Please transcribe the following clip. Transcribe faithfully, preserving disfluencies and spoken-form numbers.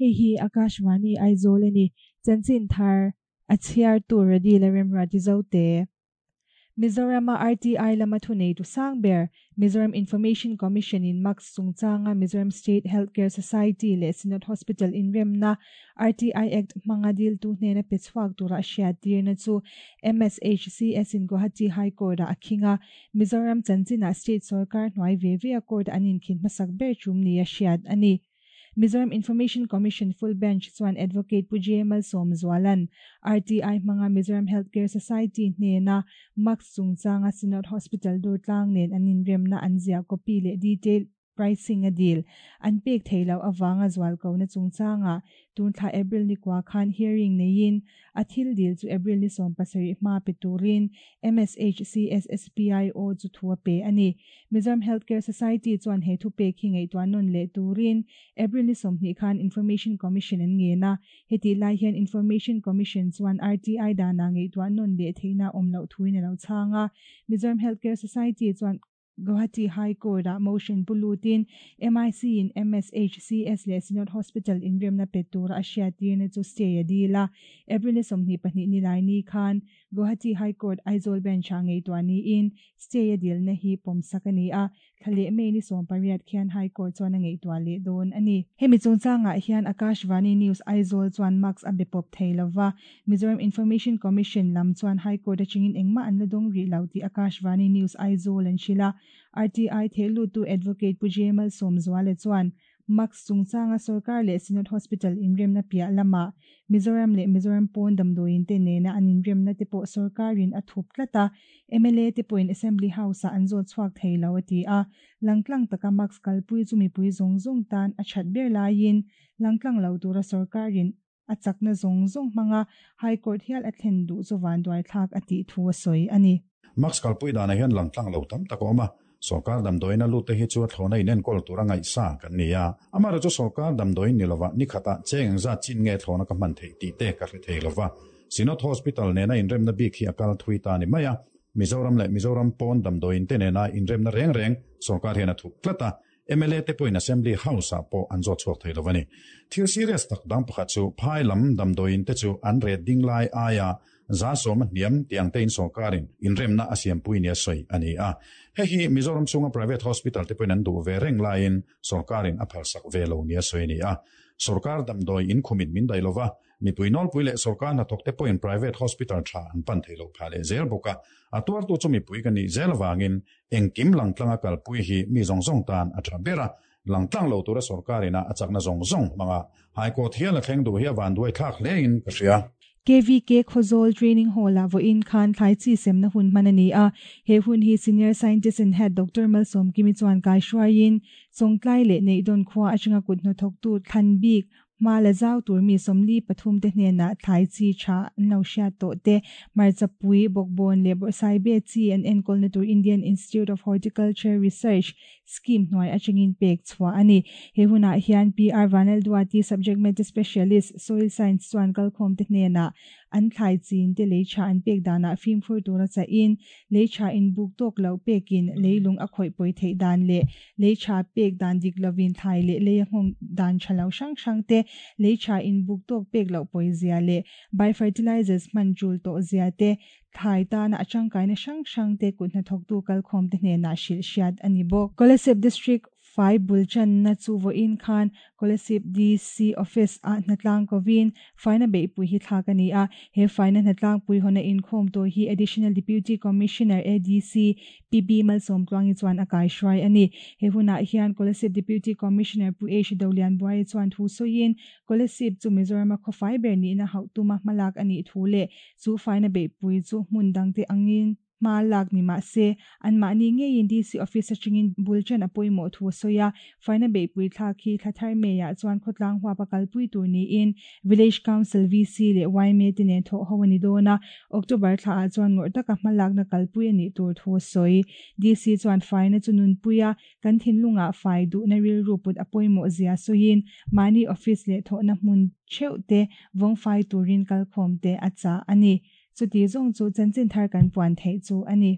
Hei hi Akashvani Aizawl ani. Chanchin thar a chhiar tur Radi la Remruati Zote. Mizorama R T I lama thuneitu sang ber Mizoram Information Commission in Max chungchanga Mizoram State Healthcare Society leh Synod Hospital inremna R T I Act hmanga diltu hnena pe chhuak tura a hriat tirna chu M S H C S in Guwahati High Court ah a khing a. Mizoram chanchinah state sorkar hnuai ve ve a court an inkhin hmasak ber tum ni a hriat a ni. Mizoram Information Commission full bench chuan Advocate Pu J Malsawmzuala'n R T I hmanga Mizoram Healthcare Society hnena Max chungchanga Synod Hospital Durtlang nen an inremna an ziah copy leh detail pricing a dil an pek theilo awanga zual ko na chungchanga tun thla April ni kwa khan hearing neiin a thil dil chu April ni som pasarih hma pe turin M S H C S S P I O chu thua pe ani. Mizoram Healthcare Society chuan he thu pe khi ngei tuan non le turin April ni somhnih khan Information Commission an nge na. Heti lai hian Information Commission chuan R T I dana ngei tuan non le theina omlo thuin alo changa. Mizoram Healthcare Society chuan Guwahati High Court a motion pulutin M I C in M S H C S le Synod Hospital in remna petura a hriat na chu stay a dila. April ni sawmhnih pahnih ni lai ni khan Guwahati High Court Aizawl bench a ngei tuani in stay a dil na hi pawmsak ani a. Thlale mei ni sawm pariat khian High Court chuan a ngei tua leh dawn ani. Hemi chungchangah hian Akashvani News Aizawl chuan Max a be pawp thei lova. Mizoram Information Commission lam chuan High Court atangin engmah an la dawng rih lo tih Akashvani News Aizawl an hrilh a. R T I thehlu tu Advocate Pu J Malsawmzuala chuan Max chungchanga sarkar leh Synod Hospital inremna piah lama Mizoram leh Mizoram pawn damdawiin te nena an inremna te pawh sarkarin a thup tlat a, M L A te pawhin Assembly House ah an zawt chhuak thei lo a ti a. Langtlang taka Max kalpui chu mipui zawng zawng tan a that ber laiin langtlang lo tura sarkarin a chakna zawng zawng hmanga High Court hial a thlen duh chu vanduai thlak a tih thu a sawi ani. Max kalpui dana hian langtlang lo tam tak awm a. Sarkar damdawiin a lut te hi chu a thlawna in enkawl tura ngaih sa kan ni a. Amara chu sarkar damdawiin ni lova ni khata cheng za chin nge thlawna ka hman thei tih te ka hre thei lova. Synod Hospital nena inremna bik hi akal thui ta ni mai a. Mizoram leh Mizoram pawn damdawiin te nena inremna reng reng sarkar hian a thup tlat a. M L A te pawhin Assembly House ah pawh an zawt chhuak thei lovani. Thil serious tak dang pakhat chu phai lam damdawiin te chu an ret ding lai aia za sawm a hniam tiang te in sarkarin inremna a siampui nia sawi ani a. He hi Mizoram chunga private hospital te pawhin an duh ve reng laiin sarkarin a phalsak ve lo nia sawi ani a. Sarkar damdawi in khumin min dai lova. Mipui nawlpui leh sarkar hnathawk te pawhin private hospital tha an pan thei lo pha leh zel bawk a. A tuartu chu mipui ka nih zel awangin engkim langtlanga kalpui hi mi zawng zawng tan a tha ber a. Langtlang lo tura sarkarina a chakna zawng zawng hmanga High Court hial a thleng duh hi a vanduai thlak hlein ka hria. K V K Khawzawl Training Hall a vawiin khan thlai chi semna hun hman ani a. He hun hi Senior Scientist and Head Doctor Malsawmkimi chuan kai hruaiin Chawngtlai leh Neihdawn khua atanga kut hnathawktu thlan bik hma la zau tur mi sawmli pathum te hnenah thlai chi tha an lo hriat tawh te, hmarchapui, bawkbawn leh bawrhsaibe chi an enkawlna tur Indian Institute of Horticulture Research scheme hnuai atangin pek chhuah ani. He hunah hian P R Vanlalduati, Subject Matter Specialist, Soil Science chuan kalkhawm te hnenah an thlai chin te lei tha an pek danah fimkhur tura cha in lei tha in buk tawk lo pekin leilung a khawih pawi theih dan leh lei tha pek dan dik lovin thlai leh lei a nghawng dan tha lo hrang hrang te, lei tha in buk tawk pek loh pawi zia leh biofertilizers hman tul tawh zia te, thlai tana a tangkaina hrang hrang te kut hnathawktu kalkhawm te hnenah hrilh hriat ani bawk. Kolasib District fai bulchan na chu vawiin khan Kolasib D C Office a hnatlang kovin faina beihpui hi thlak ani a. He faina hnatlang pui hona inkhawm to hi Additional Deputy Commissioner A D C P B Malsawmtluangi chuan a kai hruai ani. He hunah hian Kolasib Deputy Commissioner Pu H Dolian Buai chuan thu sawiin Kolasib chu Mizoram a khawfai ber ni na hauh tuma hmalak ani thu leh chu faina beihpui chu hmun dangte angin hma lak ni ma se an mahni ngeiin D C Office atangin bulchan a pawimawh thu a sawi a. Faina beihpui thlak hi thlathar meiah chuan khawtlang huap a kalpui tur niin Village Council V C leh Y M A te nen thawh ho ani dawn a. October thla ah chuan ngawrh taka hmalakna kalpui ani tur thu a sawi. D C chuan faina chu nunpui a kan thinlungah fai duhna rilru put a pawimawh zia sawiin mahni office leh thawhna hmun theuh te vawng fai turin kalkhawm te a chah ani. Chuti zawng chu chanchin thar kan puan theih chu ani.